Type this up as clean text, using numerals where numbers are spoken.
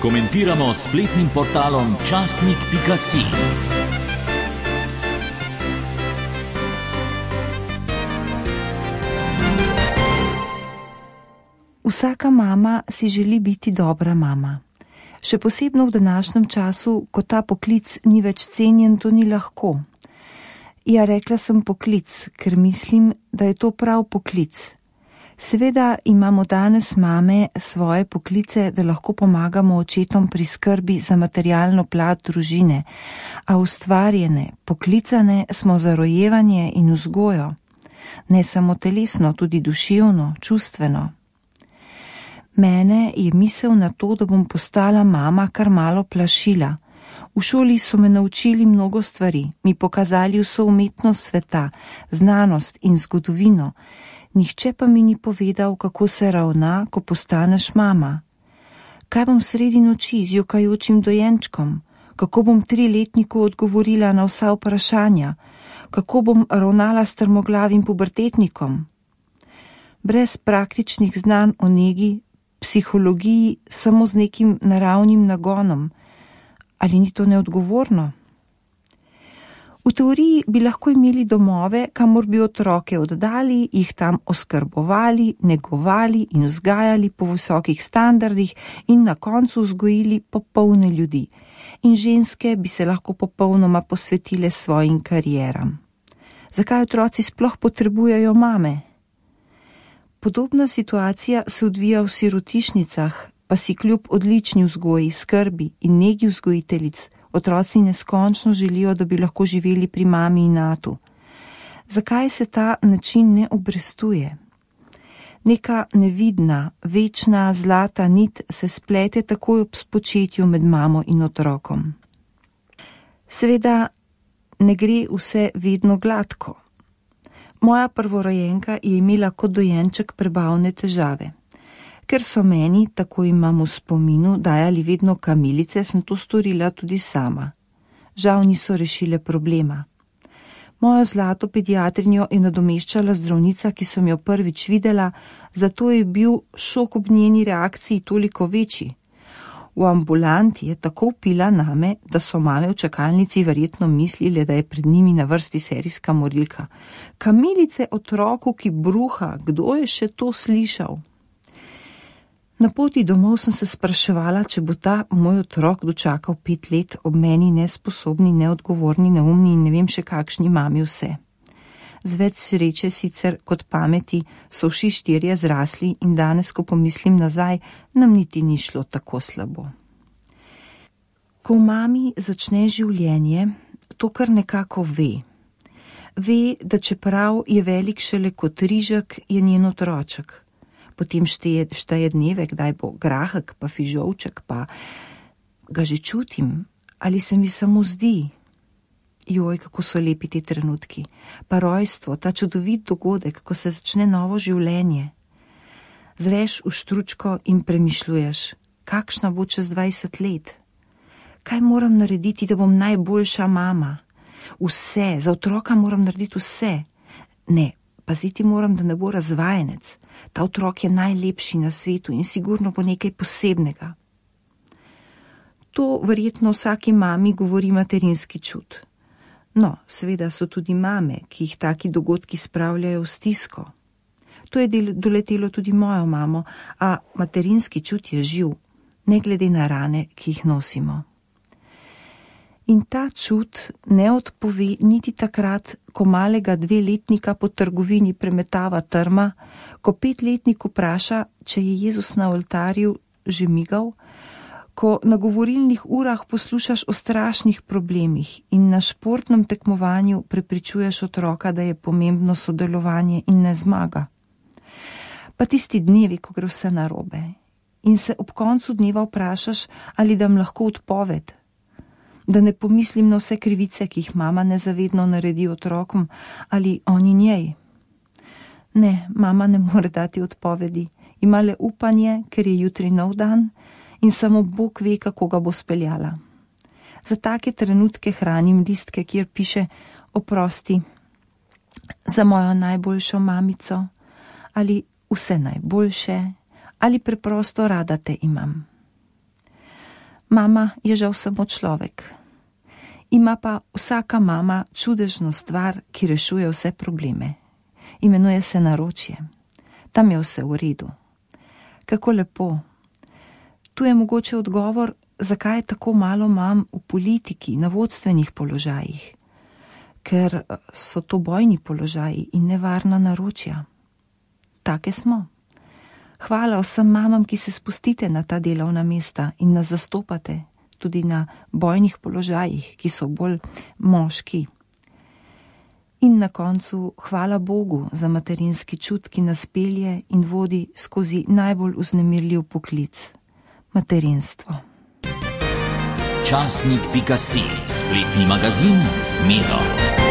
Komentiramo s spletnim portalom časnik.si. Vsaka mama si želi biti dobra mama. Še posebno v današnjem času, ko ta poklic ni več cenjen, to ni lahko. Ja, rekla sem poklic, ker mislim, da je to prav poklic. Seveda imamo danes mame svoje poklice, da lahko pomagamo očetom pri skrbi za materialno plat družine, a ustvarjene, poklicane smo za rojevanje in vzgojo. Ne samo telesno, tudi duševno, čustveno. Mene je misel na to, da bom postala mama, kar malo plašila. V šoli so me naučili mnogo stvari, mi pokazali vso umetnost sveta, znanost in zgodovino. Nihče pa mi ni povedal, kako se ravna, ko postaneš mama. Kaj bom sredi noči z jokajočim dojenčkom? Kako bom 3-letniku odgovorila na vsa vprašanja? Kako bom ravnala s trmoglavim pubertetnikom? Brez praktičnih znanj o negi, psihologiji, samo z nekim naravnim nagonom. Ali ni to neodgovorno? V teoriji bi lahko imeli domove, kamor bi otroke oddali, jih tam oskrbovali, negovali in vzgajali po visokih standardih in na koncu vzgojili popolne ljudi. In ženske bi se lahko popolnoma posvetile svojim karieram. Zakaj otroci sploh potrebujejo mame? Podobna situacija se odvija v sirotišnicah, pa si kljub odlični vzgoji, skrbi in negi vzgojiteljic otroci neskončno želijo, da bi lahko živeli pri mami in atu. Zakaj se ta način ne obrestuje? Neka nevidna, večna, zlata nit se splete takoj ob spočetju med mamo in otrokom. Seveda ne gre vse vedno gladko. Moja prvorojenka je imela kot dojenček prebavne težave. Ker so meni, tako imam v spominu, dajali vedno kamilice, sem to storila tudi sama. Žal niso rešile problema. Mojo zlato pediatrinjo je nadomeščala zdravnica, ki sem jo prvič videla, zato je bil šok ob njeni reakciji toliko večji. V ambulanti je tako vpila name, da so mame v čakalnici verjetno mislile, da je pred njimi na vrsti serijska morilka. Kamilice otroku, ki bruha, kdo je še to slišal? Na poti domov sem se spraševala, če bo ta moj otrok dočakal 5 let ob meni nesposobni, neodgovorni, neumni in ne vem še kakšni mami vse. Z več sreče sicer kot pameti so vsi 4 zrasli in danes, ko pomislim nazaj, nam niti ni šlo tako slabo. Ko v mami začne življenje, to kar nekako ve. Ve, da čeprav je velik šele kot rižek, je njen otroček. Potem šteje dneve, kdaj bo grahek, pa fižolček, pa ga že čutim, ali se mi samo zdi. Joj, kako so lepi ti trenutki. Pa rojstvo, ta čudovit dogodek, ko se začne novo življenje. Zreš v štručko in premišljuješ, kakšna bo čez 20 let. Kaj moram narediti, da bom najboljša mama? Vse, za otroka moram narediti vse. Ne, paziti moram, da ne bo razvajenec. Ta otrok je najlepši na svetu in sigurno bo nekaj posebnega. To verjetno vsaki mami govori materinski čut. No, seveda so tudi mame, ki jih taki dogodki spravljajo v stisko. To je doletelo tudi mojo mamo, a materinski čut je živ, ne glede na rane, ki jih nosimo. In ta čut ne odpove niti takrat, ko malega 2-letnika po trgovini premetava trma, ko 5-letnik vpraša, če je Jezus na oltarju že migal, ko na govorilnih urah poslušaš o strašnih problemih in na športnem tekmovanju prepričuješ otroka, da je pomembno sodelovanje in ne zmaga. Pa tisti dnevi, ko gre vse narobe in se ob koncu dneva vprašaš, ali dam lahko odpoved, da ne pomislim na vse krivice, ki jih mama nezavedno naredi otrokom ali oni njej. Ne, mama ne more dati odpovedi, ima le upanje, ker je jutri nov dan, in samo Bog ve, kako ga bo speljala. Za take trenutke hranim listke, kjer piše oprosti, za mojo najboljšo mamico, ali vse najboljše, ali preprosto rada te imam. Mama je žal samo človek. Ima pa vsaka mama čudežno stvar, ki rešuje vse probleme. Imenuje se naročje. Tam je vse v redu. Kako lepo. Tu je mogoče odgovor, zakaj je tako malo mam v politiki, na vodstvenih položajih. Ker so to bojni položaji in nevarna naročja. Take smo. Hvala vsem mamam, ki se spustite na ta delovna mesta in nas zastopate, tudi na bojnih položajih, ki so bolj moški. In na koncu hvala Bogu za materinski čut, ki nas pelje in vodi skozi najbolj vznemirljiv poklic, materinstvo. Časnik.si, spletni magazin z Medo.